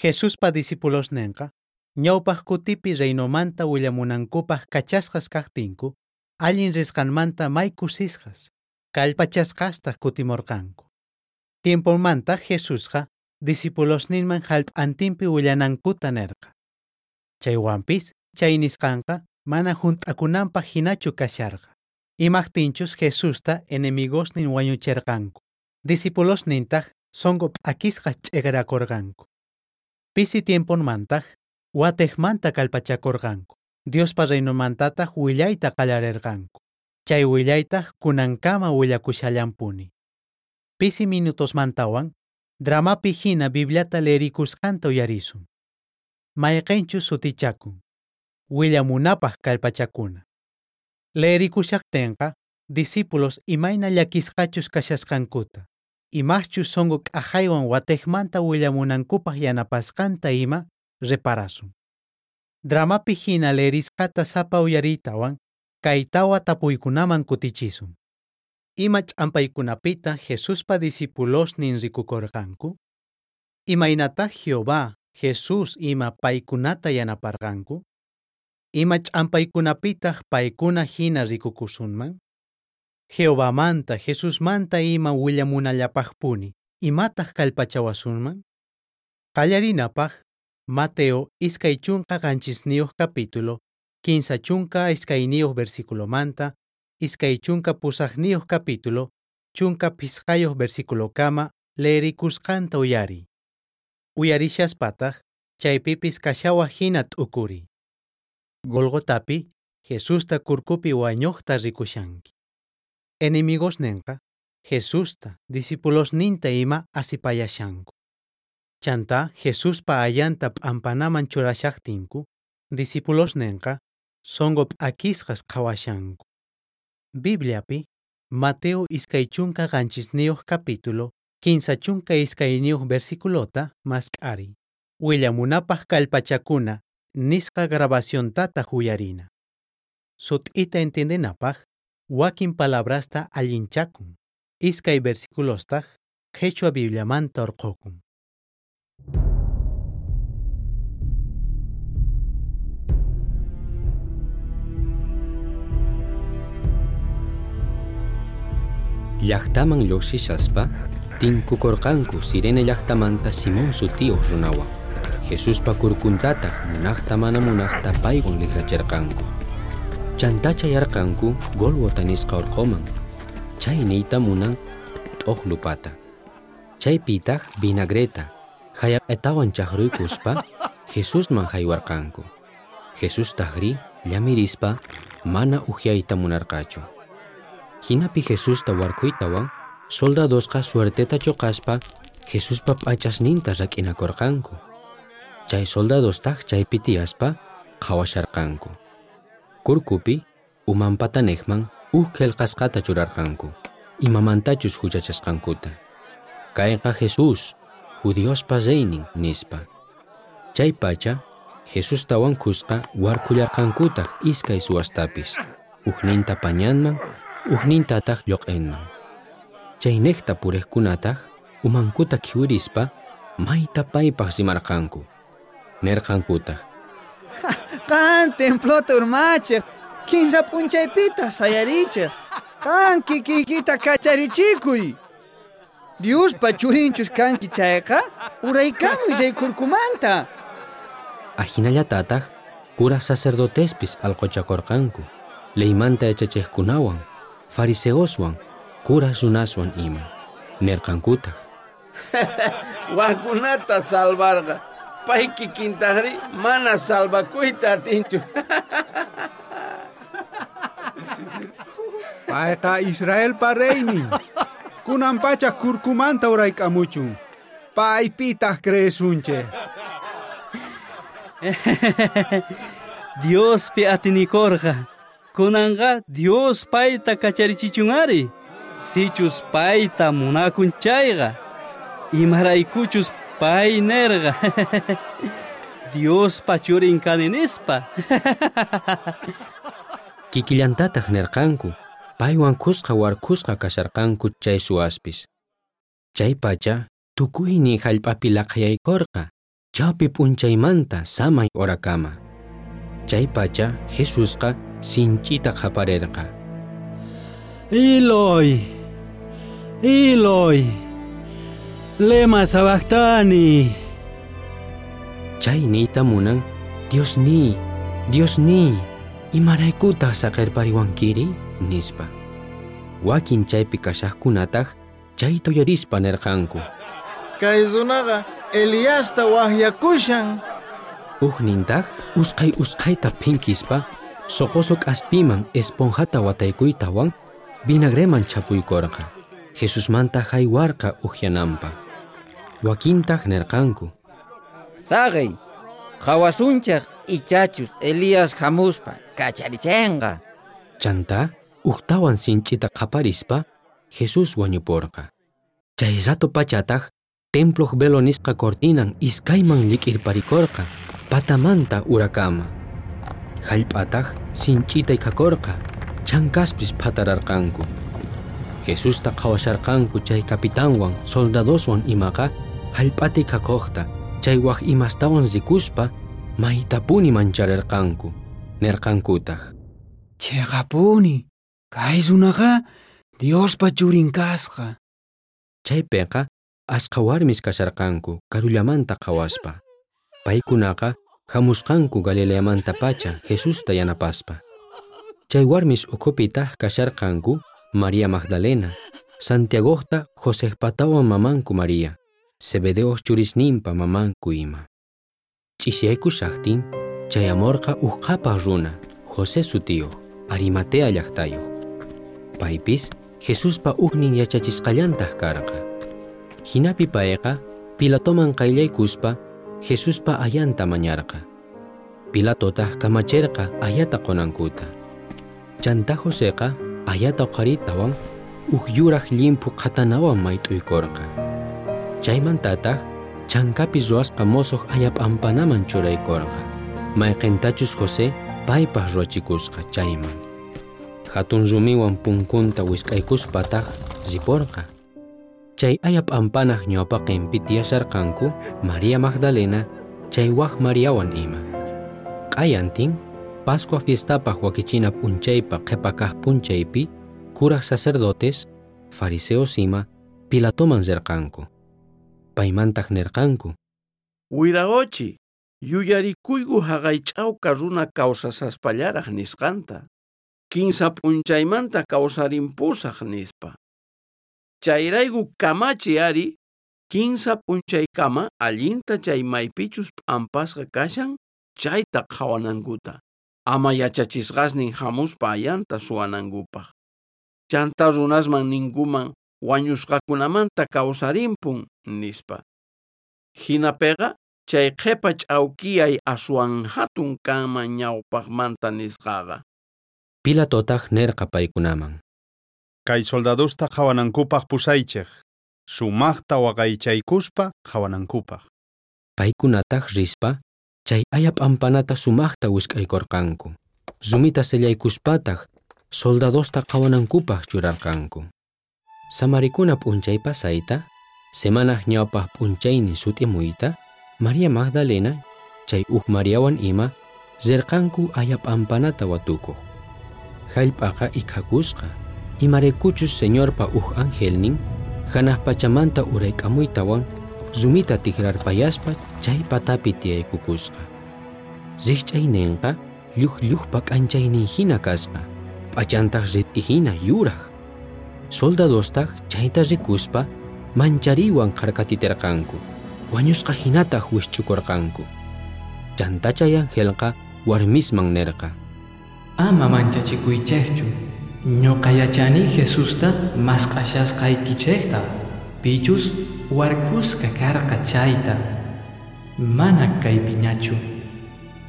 Jesuspa discipulosnenqa ñawpaq kutipi reinomanta willamunankupaq kachasqas kajtinku, allin risqanmanta may kusisqas, kallpachasqastaq kutimorqanku. Tiemponmanta Jesusqa discipulosninman jallp'antinpi willanankuta nerqa. Chaywanpis chay nisqanqa mana junt'akunanpaq hinachu kasharqa. Imajtinchus Jesusta enemigosnin wañucherqanku. Discipulosnintaq sonqo p'akisqas ch'eqerakorqanku. Pisi tiemponmantaq watejmanta kallpachakorqanku. Diospa reinomantataq willayta qallarerqanku. Chay willaytaq kunankama willakushallanpuni. Pisi minutosmantawan dramapi hina Bibliata leerikusqanta uyarisun. Mayqenchus sutichakun. Willamunapaq kallpachakuna. Leerikushaqtinqa discípulos imayna llakisqachus kashasqankuta, imachus sonqo k'ajaywan watejmanta willamunankupaq yanapasqanta ima reparasun. Dramapi hina leerisqata sapa uyariytawan kay tawa tapuykunaman kutichisun. Ima ch'ampaykunapita Jesuspa discipulosnin rikukorqanku? Imaynataq Jehová, Jesús ima paykunata yanaparqanku? Ima ch'ampaykunapitaq paykuna hina rikukusunman? Jehovamanta, Jesusmanta ima willamunallapaqpuni, imataq kallpachawasunman? Qallarinapaq, Mateo 27 capítulo, 32 versículomanta, 28 capítulo, 15 versículokama leerikusqanta uyariy. Uyarishaspataq, chaypipis kashawa hina t'ukuriy. Golgotapi, Jesusta kurkupi wañuqta rikushanki. Enemigosnenqa, Jesusta, discipulosninta ima asipayashanku. Chantá Jesuspa ayanta p'ampanaman churashaqtinku, discipulosnenqa sonqo p'akisqas qhawashanku. Bibliapi, Mateo 27 capítulo, 32 versículota mask'ariy. Willamunapaq kallpachakuna nisqa grabaciontataq uyarina. Sut'ita entiendenapaq, wakin palabrasta allinchakun. Iskay versículostaq qhichwa Bibliamanta urqhukun. Llaqtaman lluqsishaspa tinkukorqanku Sirene llaqtamanta Simón sutiyuq runawan. Jesuspa kurkuntataq munaqta mana munaqta paywan likracherqanku. Chantá chayarqanku Gólgota nisqa urquman. Chay niyta munan t'uqlupata. Chaypitaq vinagreta hayaq'etawan chaqruykuspa Jesusman haywarqanku. Jesustajri llamirispa mana uhyayta munarqachu. Hinapi Jesusta warkhuytawan soldadosqa suerteta choqaspa Jesuspa p'achasninta rak'inakorqanku. Chay soldadostaq chaypi tiyaspa qhawasharqanku. Kurkupi umanpatanejman uj qillqasqata churarqanku, imamantachus huchachasqankuta. Kayqa Jesús, judiospa reynin, nispa. Chay pacha Jesustawan kusqa warkhullarqankutaq iskay suwastapis, ujninta pañanman, ujnintataq lluq'inman. Chaynejta puriqkunataq umankuta khiwirispa mayta paypaq rimarqanku. Nerqankutaq: Qan templota urmachiq, kinsa p'unchaypitaq sayarichiq. Qan kikiykita kacharichikuy. Diospa churinchus kanki chayqa, uraykamuy chay kurkumanta. Ajinallatataq kuraq sacerdotespis alquchakorqanku, leymanta yachachiqkunawan, fariseoswan, kuraq runaswan ima. Nerqankutaq: Wajkunata salvarqa, pay kikintajri mana salvakuyta atinchu. Payqa Israelpa reynin. Kunan pacha kurkumanta urayk'amuchun. Paypitaq creesunchej. Diospi atinikorqa. Kunanqa Dios payta kacharichichun ari. Sichus payta munakun chayqa. Imaraykuchus pay nerqa. Diospa churin kani nispa. Kikillantataq nerqanku, paywan kusqa warkhusqa kasharqanku chay suwaspis. Chay pacha tukuynin jallp'api laqhayaykorqa. chawpi p'unchaymanta samay horakama. Chaypacha Jesusqa sinch'ita qhaparerqa. Eloi, Eloi, lema sabactani. Chay niyta munan, Dios niy, Dios niy, imaraykutaq saqerpariwankiri, nispa. Wakin chaypi kashaqkunataq chayta uyarispa nerqanku. Kay runaqa Eliasta waqyakushan. Ujnintaq usqhay usqhayta phinkispa soqoso k'aspiman esponjata wataykuytawan vinagreman chapuykorqa. Jesusmanta haywarqa ujyananpaq. Wakintaq nerqanku. Saqey, qhawasunchej ichachus Elías hamuspa kacharichenqa. Chantá ujtawan sinch'ita qhaparispa Jesús wañuporqa. Chay rato pachataq temploq velo nisqa cortinan iskayman llik'irparikorqa patamanta urakama. Jallp'ataq sinch'ita ikhakorqa, chankaspis phatararqanku. Jesusta qhawasharqanku chay capitanwan soldadoswan imaqa jallp'ata ikhakuqta chay waj imastawan rikuspa maytapuni mancharerqanku, nerqankutaq. Cheqapuni, kay runaqa Diospa churin kasqa. Chaypiqa ashkha warmis kasharqanku karullamanta qhawaspa. Paykunaqa hamusqanku Galileamantapacha Jesusta yanapaspa. Chay warmis ukhupitaq kasharqanku María Magdalena, Santiagojta Josejpatawan mamanku María, Zebedeoj churisninpa mamanku ima. Ch'isiyaykushaqtin chayamorqa uj qhapaq runa, José sutiyuq, Arimatea llaqtayuq. Paypis Jesuspa ujnin yachachisqallantaq karqa. Hinapi payqa Pilatoman qayllaykuspa Jesuspa ayanta mañarqa. Pilatotaq kamacherqa ayata qonankuta. Chantá Joseqa ayata uqharitawan uj yuraq llimphu qhatanawan mayt'uykorqa. Chaymantataq chankapi ruwasqa mosoq aya p'ampanaman churaykorqa, mayqintachus José paypaq ruwachikusqa chayman. Hatun rumiwan punkunta wisk'aykuspataq riporqa. Chay aya p'ampanaq ñawpaqinpi tiyasharqanku María Magdalena chay waj Mariawan ima. Q'ayantin Pascua fiestapaq wakichina p'unchaypa qhipa kaq p'unchaypi kuraq sacerdotes, fariseos ima Pilatoman rirqanku. Paymantaq nirqanku. Wiraqochi, yuyarikuyku haqay ch'awka runa kawsasaspallaraq nisqanta. Kinsa p'unchaymanta kawsarimpusaq nispa. Chayrayku kamachi ari, kinsa p'unchaykama allinta chay maypichus p'ampasqa kashan chayta qhawanankuta. Ama yachachisqasnin hamuspa ayanta suwanankupaq. Chantá runasman ninkuman wañusqakunamanta kawsarimpun nispa. Hinapiqa chay qhipa ch'awkiyay aswan hatun kanman ñawpaqmanta nisqaqa. Pilatotaq nerqa paykunaman. Kay soldadosta qhawanankupaq pusaychej, sumaqta waqaychaykuspa qhawanankupaq. Paykunataq rispa chay aya p'ampanata sumaqta wisk'aykorqanku. Rumita sellaykuspataq soldadosta qhawanankupaq churarqanku. Samarikuna p'unchay pasayta, semanaj ñawpaq p'unchaynin sut'imuyta, María Magdalena chay uj Mariawan ima rirqanku aya p'ampanata watukuq. Jallp'aqa ikhakusqa, imaraykuchus Señorpa uj angelnin hanaq pachamanta urayk'amuytawan rumita tikrarpayaspa chay patapi tiyaykukusqa. Rikch'ayninqa lluqlluqpa k'anchaynin hina kasqa, p'achantaq rit'i hina yuraq. Soldadostaq chayta rikuspa manchariywan kharkatiterqanku, wañusqa hinataq wishch'ukurqanku. Chantá chay angelqa warmisman nerqa. Ama manchachikuychejchu, ñuqa yachani Jesusta mask'ashasqaykichejta, pichus warkusqa karqa chayta, mana kaypiñachu,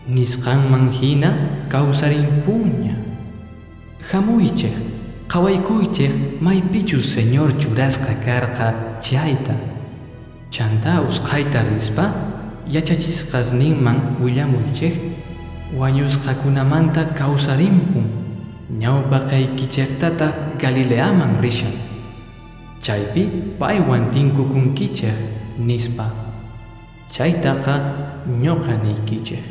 nisqanman hina kawsarimpuña. Hamuychej, qhawaykuychej maypichus Señor churasqa karqa chayta. Chantá usqhayta rispa yachachisqasninman willamuychej wañusqakunamanta kawsarimpun, ñawpaqaykichejtataq Galileaman rishan. Chaypi paywan tinkukunkichej nispa. Chaytaqa ñuqa niykichej.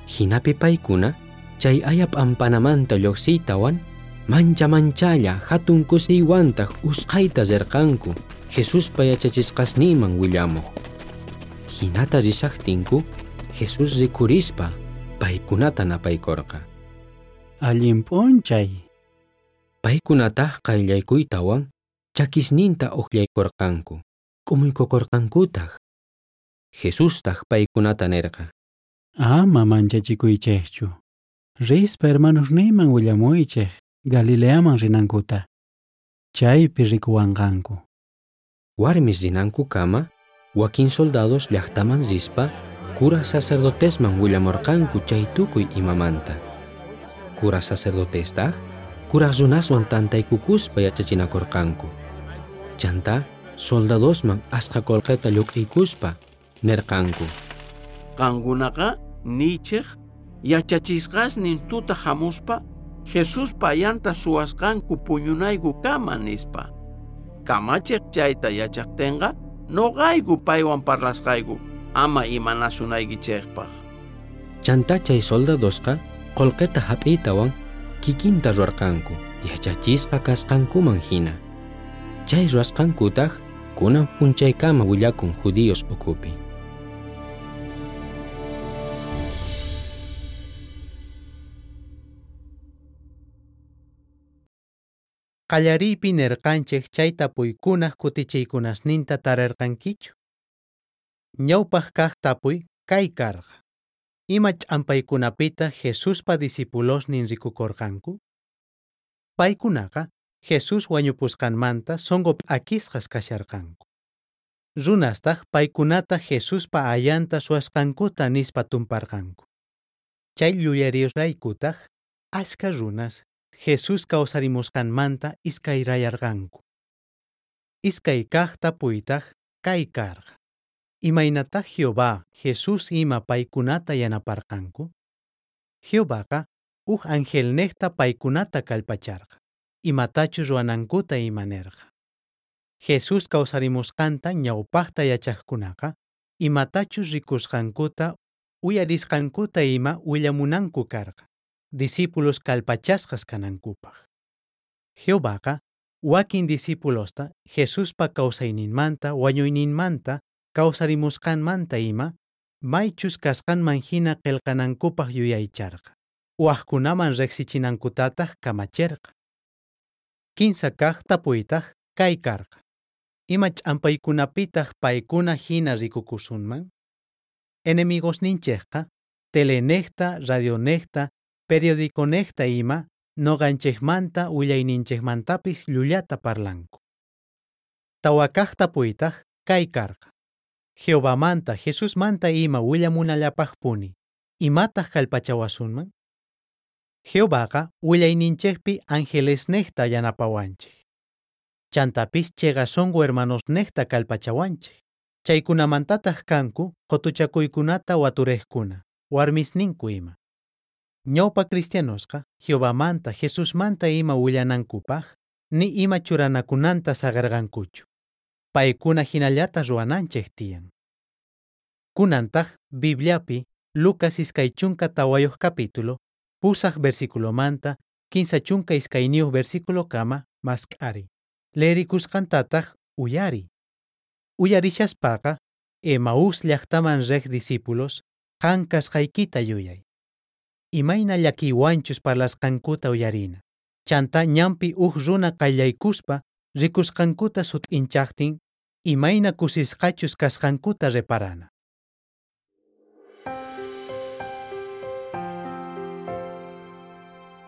Jinapi paykuna chay aya p'ampanamanta lluqsiytawan mancha manchalla hatun kusiywantaj usqhayta rirqanku Jesuspa yachachisqasninman willamuq. Jinata rishaqtinku Jesús rikurispa paykunata napaykorqa. Allin p'unchay. Paykunataj qayllaykuytawan chakisninta uqllaykorqanku, k'umuykukorqankutaj. Jesustaj paykunata nerqa: Ama manchachikuychejchu. Rispa hermanosniyman willamuychej Galileaman rinankuta. Chaypi rikuwanqanku. Warmis rinankukama, wakin soldados llaqtaman rispa cura sacerdotesman willamorqanku chay tukuy imamanta. Cura sacerdotestaj kuraj runaswan tantaykukuspa yachachinakorqanku. Chantá soldadosman asqa qolqeta lluk'iykuspa nerqanku: Qankunaqa niychej yachachisqasnin tuta hamuspa Jesuspa ayanta suwasqanku puñunaykukama nispa. Kamachiq chayta yachaqtinqa noqayku paywan parlasqayku ama imanasunaykichejpaq. Chantá chay soldadosqa qolqeta hap'iytawan kikinta ruwarqanku yachachisqa kasqankuman hina. Chay ruwasqankutaj kunan p'unchaykama willakun judíos ukhupi. Qallariypi nerqanchej chay tapuykunaj kutichiykunasninta tarerqankichu. Ñawpaq kaq tapuy kay karqa. Ima ch'ampaykunapita Jesuspa discipulosnin rikukorqanku? Paykunaqa Jesús wañupusqanmanta sonqo p'akisqas kasharqanku. Runastaj paykunata Jesuspa ayanta suwasqankuta nispa tumparqanku. Chay llullariyusraykutaj ashka runas Jesús kawsarimusqanmanta iskayrayarqanku. Iskay kaq tapuytaj kay karqa. Imaynataq Jehová, Jesús ima paykunata yanaparqanku? Jehovaqa uj angelnejta paykunata kallpacharqa, imatachus ruwanankuta ima nerqa. Jesús kawsarimusqanta ñawpaqta yachaqkunaqa imatachus rikusqankuta uyarisqankuta ima willamunanku karqa, discípulos kallpachasqas kanankupaq. Jehovaqa wakin discípulosta Jesuspa kawsayninmanta wañuyninmanta kawsarimusqanmanta ima maychus kasqanman hina qillqanankupaq yuyaycharqa, wajkunaman riqsichinankutataq kamacherqa. Kinsa kaq tapuytaj kay karqa. Ima ch'ampaykunapitaq paykuna hina rikukusunman? Enemigosninchejqa telenejta, radionejta, periodiconejta ima noqanchejmanta willayninchejmantapis llullata parlanku. Tawa kaq tapuytaj kay karqa. Jehovamanta, Jesusmanta ima willamunallapaqpuni, imataq kallpachawasunman? Jehovaqa willayninchejpi angelesnejta yanapawanchej. Chantapis chiqa sonqo hermanosnejta kallpachawanchej. Chaykunamantataq kanku qotuchakuykunata waturejkuna, warmisninku ima. Ñawpa cristianosqa Jehovamanta, Jesusmanta ima willanankupaq ni ima churanakunanta saqerqankuchu. Paykuna hinallata ruwananchej tiyan. Kunantaq Bibliapi Lucas 24 capítulo, 8 versículomanta 32 versículokama mask'ari. Leerikusqantataq uyari. Uyarishaspaqa Emaús llaqtaman rej discípulos qan kasqaykita yuyay. Imayna llakiywanchus parlasqankuta uyarina. Chanta ñanpi uj runa qayllaykuspa rikusqankuta sut'inchaqtin imayna kusisqachus kasqankuta reparana.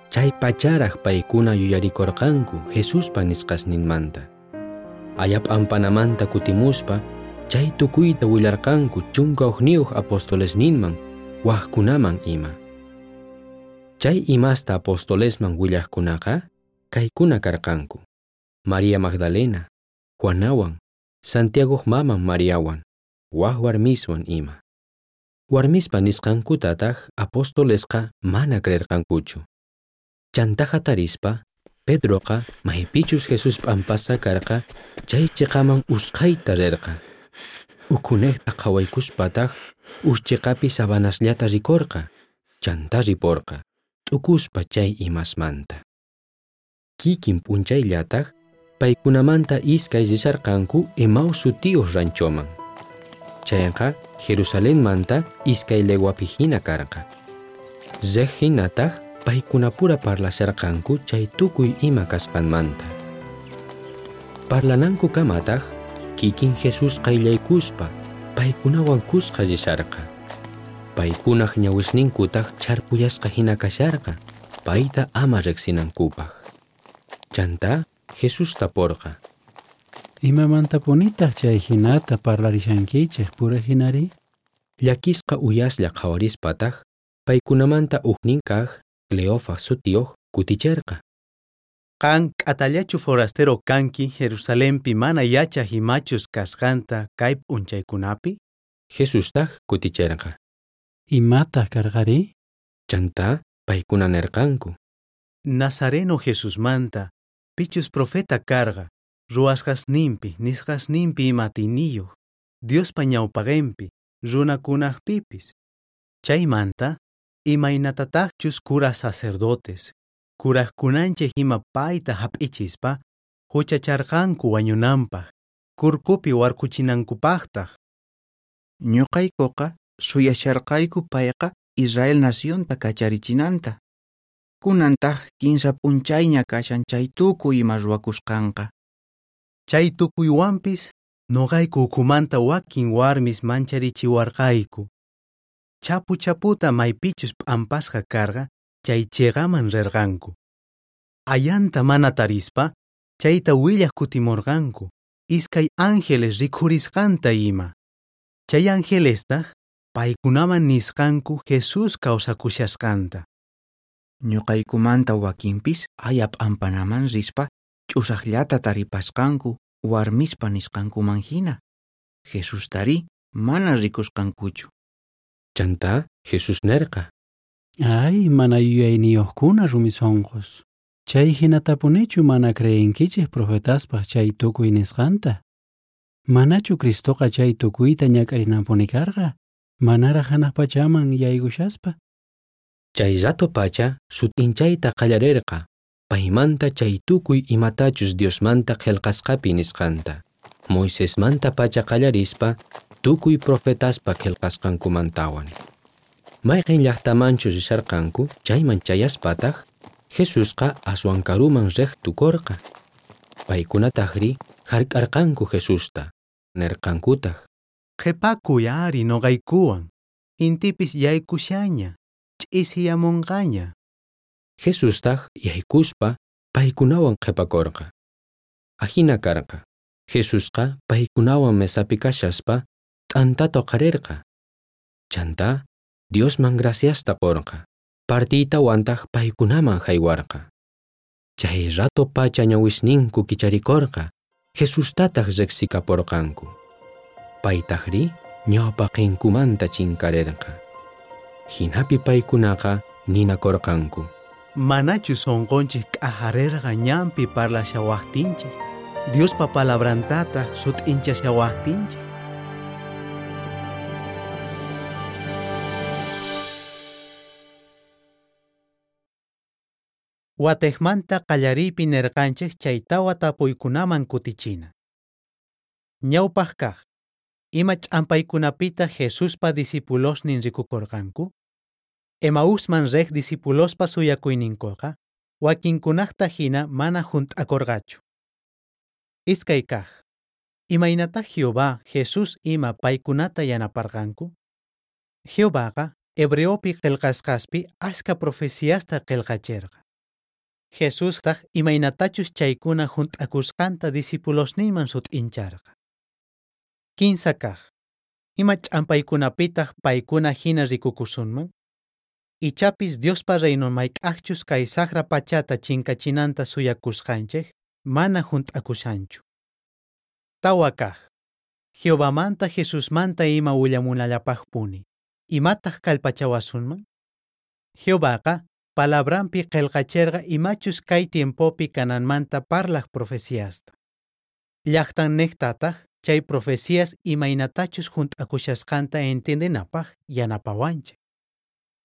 Chay pacharaj paykuna yuyarikorqanku Jesuspa nisqasninmanta. Aya p'ampanamanta kutimuspa chay tukuyta willarqanku 11 apostolesninman wajkunaman ima. Chay imasta apostolesman willajkunaqa kaykuna karqanku: María Magdalena, Juanawan, Santiagoq maman Mariawan, waj warmiswan ima. Warmispa nisqankutataq apostolesqa mana creerqankuchu. Chantá hatarispa, Pedroqa maypichus Jesús p'ampasqa karqa chay chiqaman usqhayta rirqa. Ukhunejta qhawaykuspataj uj cheqapi sabanasllata rikorqa, chantá riporqa, t'ukuspa chay imasmanta. Kikin p'unchayllataj paykunamanta iskay risharqanku Emaús sutiyuq ranchoman. Chayqa Jerusalenmanta iskay leguapi hina karqa. Rej hinataj paykunapura parlasharqanku chay tukuy ima kasqanmanta. Parlanankukamataq kikin Jesús qayllaykuspa paykunawan kusqa risharqa. Paykunaj ñawisninkutaj chharpuyasqa hina kasharqa, payta ama riqsinankupaq. Chantá Jesús taporqa. Imamantapunitaq chay hinata parlarishankichej pura hinari? Llakisqa uyaslla qhawarispataj paykunamanta ujnin kaj Cleofas sutiyuq kuticherqa. Qan k'atallachu forastero kanki Jerusalenpi mana yachaj imachus kasqanta kay p'unchaykunapi? Jesustaj kuticherqa. Imataq karqari? Chantá paykuna nerqanku. Nazareno Jesusmanta, pichus profeta karqa, ruwasqasninpi, nisqasninpi ima atiyniyuq, Diospa ñawpaqenpi, runakunajpipis. Chaymanta, imaynatataqchus cura sacerdotes, kurajkunanchej ima payta hap'ichispa, huchacharqanku wañunanpaq, kurkupi warkuchinankupaqtaq. Ñuqaykuqa suyasharqayku payqa Israel nacionta kacharichinanta. Kunantaq kinsa p'unchayña kashan chay tukuy ima ruwakusqanqa. Chay tukuywanpis noqayku ukhumanta wakin warmis mancharichiwarqayku. Chapu chaputa maypichus p'ampasqa karqa chay cheqaman rirqanku. Ayanta mana tarispa, chayta willaj kutimurqanku, iskay ángeles rikhurisqanta ima. Chay angelestaq paykunaman nisqanku Jesús kawsakushasqanta. Ñuqaykumanta wakinpis aya p'ampanaman rispa ch'usaqllata taripasqanku warmispa nisqankuman hina. Jesustari mana rikusqankuchu. Chantá Jesús nerqa. Ay, mana yuyayniyuqkuna rumi sunqus. Chay hinatapunichu mana creenkichej profetaspaq chay tukuy nisqanta? Manachu Cristoqa chay tukuyta ñak'arinanpuni karqa? Manaraj hanaq pachaman yaykushaspa? Chay rato pacha sut'inchayta qallarerqa paymanta chay tukuy imatachus Diosmanta qhelqasqapi nisqanta. Moisesmanta pacha qallarispa tukuy profetaspa qhelqasqankumantawan. Mayqin llaqtamanchus risharqanku chayman chayaspataj Jesusqa aswan karuman rej tukorqa. Paykunatajri hark'arqanku Jesusta, nerqankutaj. Qhipakuy ari noqaykuwan, intipis yaykushaña, ch'isiyamunqaña. Jesustaj yaykuspa paykunawan qhipakorqa. Ajina karqa. Jesusqa paykunawan mesapi kashaspa t'antata uqharerqa. Chantá Diosman graciasta qorqa. Partiytawantaj paykunaman haywarqa. Chay rato pacha ñawisninku kicharikorqa, Jesustataj riqsikaporqanku. Paytajri ñawpaqinkumanta chinkarerqa. Hinapi paykunaqa ninakorqanku. Manachu sunqunchik k'ajarerqa ñanpi parlashawaqtinchik, Diospa palabrantataq sut'inchashawaqtinchik. Watejmanta qallariypi nerqanchej chay tawa tapuykunaman kutichina. Ñawpaq kaq, ima ch'ampaykunapitaq Jesuspa discipulosnin rikukurqanku? Emausman rej discipulospa suyakuyninkuqa, wakinkunaqta hina mana junt'akurqachu. Iskay kaq, imaynataq Jehová, Jesús ima paykunata yanaparqanku? Jehovaqa hebreopi qillqasqaspi ashka profeciasta qillqacherqa. Jesustaq imaynatachus chaykuna junt'akusqanta discipulosninman sut'incharqa. Kinsa kaq, ima ch'ampaykunapitaq paykuna hina rikukusunman? Ichapis Diospa reinon mayk'aqchus kay saqra pachata chinkachinanta suyakusqanchej mana junt'akushanchu. Tawa kaq, Jehovamanta Jesusmanta ima willamunallapaqpuni, imataq kallpachawasunman? Jehovaqa palabranpi qillqacherqa imachus kay tiempopi kananmanta parlaq profeciasta. Llaqtannejtataq chay profecías imaynatachus junt'akushasqanta entiendenapaj yanapawanchej.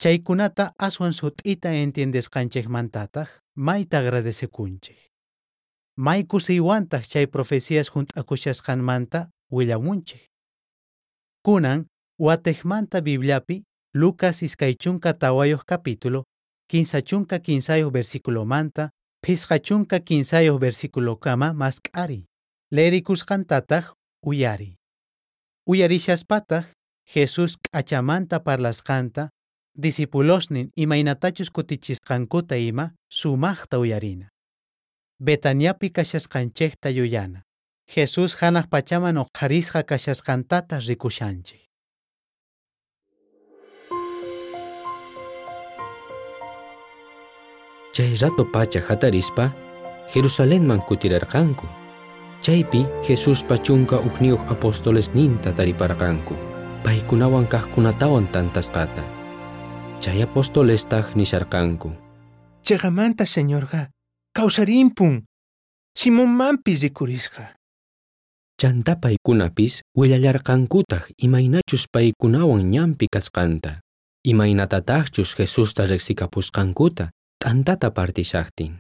Chaykunata aswan sut'ita entiendesqanchejmantataj mayta agradecekunchej. May kusiywantaj chay profecías junt'akushasqanmanta willamunchej. Kunan watejmanta Bibliapi Lucas 24 capítulo 33 versículomanta 53 versículokama mask'ari. Leerikusqantataj uyari. Uyarishaspataq Jesús k'achamanta parlasqanta discipulosnin imaynatachus kutichisqankuta ima sumaqta uyarina. Betaniapi kashasqanchejta yuyana. Jesús hanaq pachaman uqharisqa kashasqantata rikushanchej. Chay rato pacha hatarispa Jerusalenman kutirarqanku. Chaypi Jesuspa chunka ujniyuq apostolesninta tariparqanku, paykunawan kaqkunatawan tantasqata. Chay apostolestaq nisharqanku: Cheqamanta Señorqa kawsarimpun, Simonmanpis rikurisqa. Chantá paykunapis willallarqankutaq imaynachus paykunawan ñanpi kasqanta, imaynatataqchus Jesusta riqsikapusqankuta t'antata partishaqtin.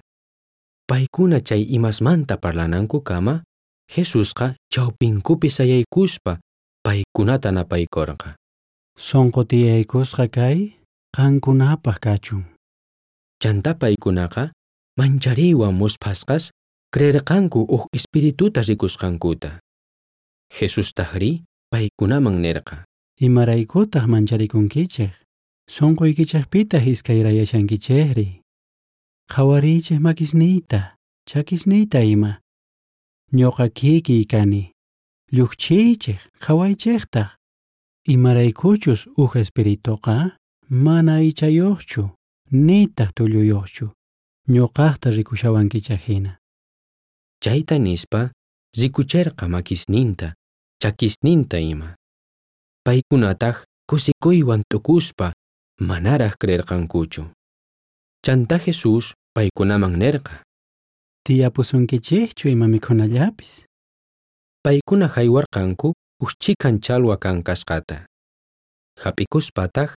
Paykuna chay imasmanta parlanankukama, Jesusqa chawpinkupi sayaykuspa paykunata napaykorqa. Sonqo tiyaykusqa kay qankunapaq kachun. Chantá paykunaqa manchariywan musphasqas creerqanku uj espirituta rikusqankuta. Jesustajrí paykunaman nerqa: Imaraykutaq mancharikunkichej? Sonqoykichejpitaq iskayrayashankichejri. Qhawariychej makisniyta, chakisniyta ima. Ñuqa kikiy kani. Lluqchiychej, qhawaychejtaq. Imaraykuchus uj espirituqa mana aychayuqchu, nitaq tulluyuqchu. Ñuqaqta rikushawankichej hina. Chayta nispa rikucherqa makisninta, chakisninta ima. Paykunataq kusikuywan t'ukuspa manaraj creerqankuchu. Chantá Jesús paykunaman nerqa: Tiyapusunkichejchu ima mikhunallapis. Paykuna haywarqanku uj chhikan challwa kankasqata. Hap'ikuspataq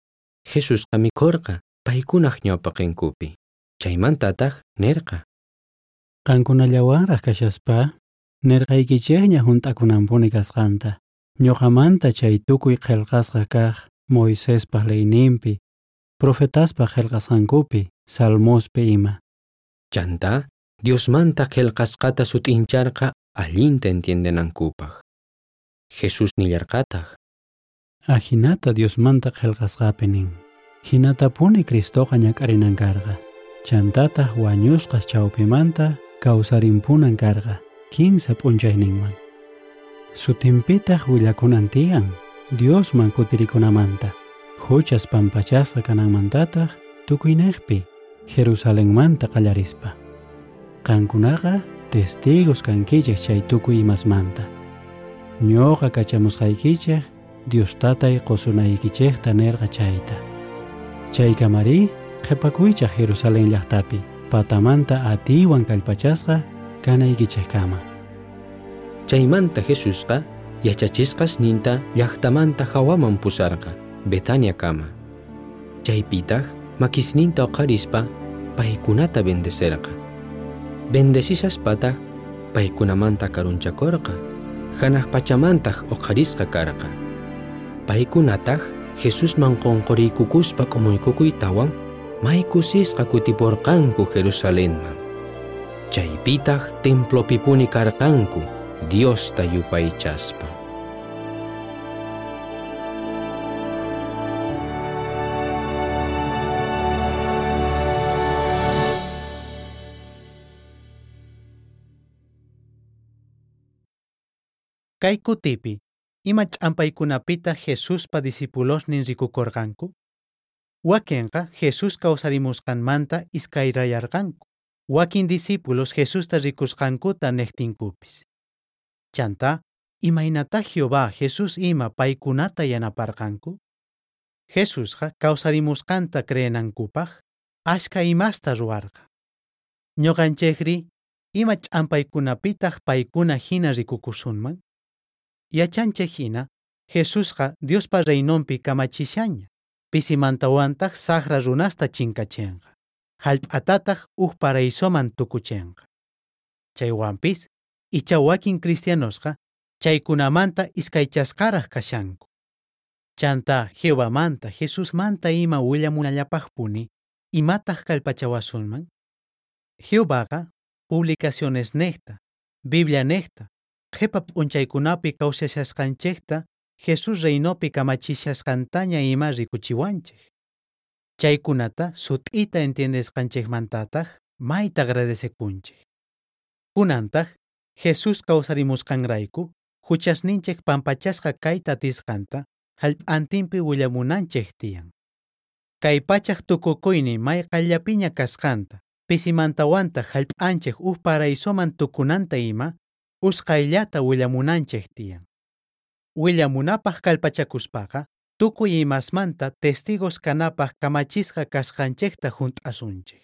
Jesusqa mikhorqa paykunaj ñawpaqinkupi. Chaymantataq nerqa: Qankunallawanraj kashaspa nerqaykichejña junt'akunanpuni kasqanta. Ñuqamanta chay tukuy qillqasqa kaq Moisespaj leyninpi, profetaspaj qillqasqankupi, Salmospi ima. Chantá Diosmanta qillqasqata sut'incharqa allinta entiendenankupaj. Jesús nillarqataq: Ajinata Diosmanta qillqasqapi nin. Hinatapuni Cristoqa ñak'arinan karqa. Chantataq wañusqas chawpimanta kawsarimpunan karqa kinsa p'unchayninman. Sutinpitaq willakunan tiyan Diosman kutirikunamanta, huchas pampachasqa kananmantataq tukuynejpi Jerusalenmanta qallarispa. Qankunaqa testigos kankichej chay tukuy imasmanta. Ñuqa kachamusqaykichej Dios tatay qusunaykichejta nerqa chayta. Chaykamari qhipakuychaj Jerusalén llaqtapi patamanta atiywan kallpachasqa kanaykichejkama. Chaymanta Jesusqa yachachisqasninta llaqtamanta hawaman pusarqa Betaniakama. Chaypitaq makisninta uqharispa paykunata bendecerqa. Bendecishaspataj paykunamanta karunchakorqa, hanaq pachamantaq uqharisqa karqa. Paykunataq Jesusman qonqoriykukuspa k'umuykukuytawan may kusisqa kutiporqanku Jerusalenman. Chaypitaq templopipuni karqanku Diosta yupaychaspa. Kay kutipi, ima ch'ampaykunapitaq Jesuspa discipulosnin rikukorqanku? Wakinqa Jesús kawsarimusqanmanta iskayrayarqanku. Wakin discípulos Jesusta rikusqankuta nejtinkupis. Chantá, imaynatá Jehová Jesús ima paykunata yanaparqanku? Jesusqa kawsarimusqanta creenankupaj ashka imasta ruwarqa. Ñuqanchejri, ima ch'ampaykunapitaq paykuna hina rikukusunman? Yachanchej jina, Jesusqa Diospa reinonpi kamachishaña, pisimantawantaj sajra runasta chinkachenqa, jallp'atataj uj paraisoman tukuchenqa. Chaywanpis, icha wakin cristianosqa chaykunamanta iskaychasqaraj kashanku. Chanta Jehovamanta, Jesusmanta ima willamunallapajpuni, imataj kallpachawasunman? Jehovaqa publicacionesnejta, Biblianejta, qhepa p'unchaykunapi kawsashasqanchejta Jesús reinopi kamachishasqantaña ima rikuchiwanchej. Chaykunata sut'ita entiendesqanchejmantataj mayta agradecekunchej. Kunantaj Jesús kawsarimusqanrayku huchasninchej pampachasqa kayta atisqanta jallp'antinpi willamunanchej tiyan. Kay pachaj tukukuynin may qayllapiña kasqanta, pisimantawantaq jallp'anchej uj paraisoman tukunanta ima, usqhayllata willamunanchej tiyan. Willamunapaj kallpachakuspaqa, tukuy imasmanta testigos kanapaj kamachisqa kasqanchejta junt'asunchej.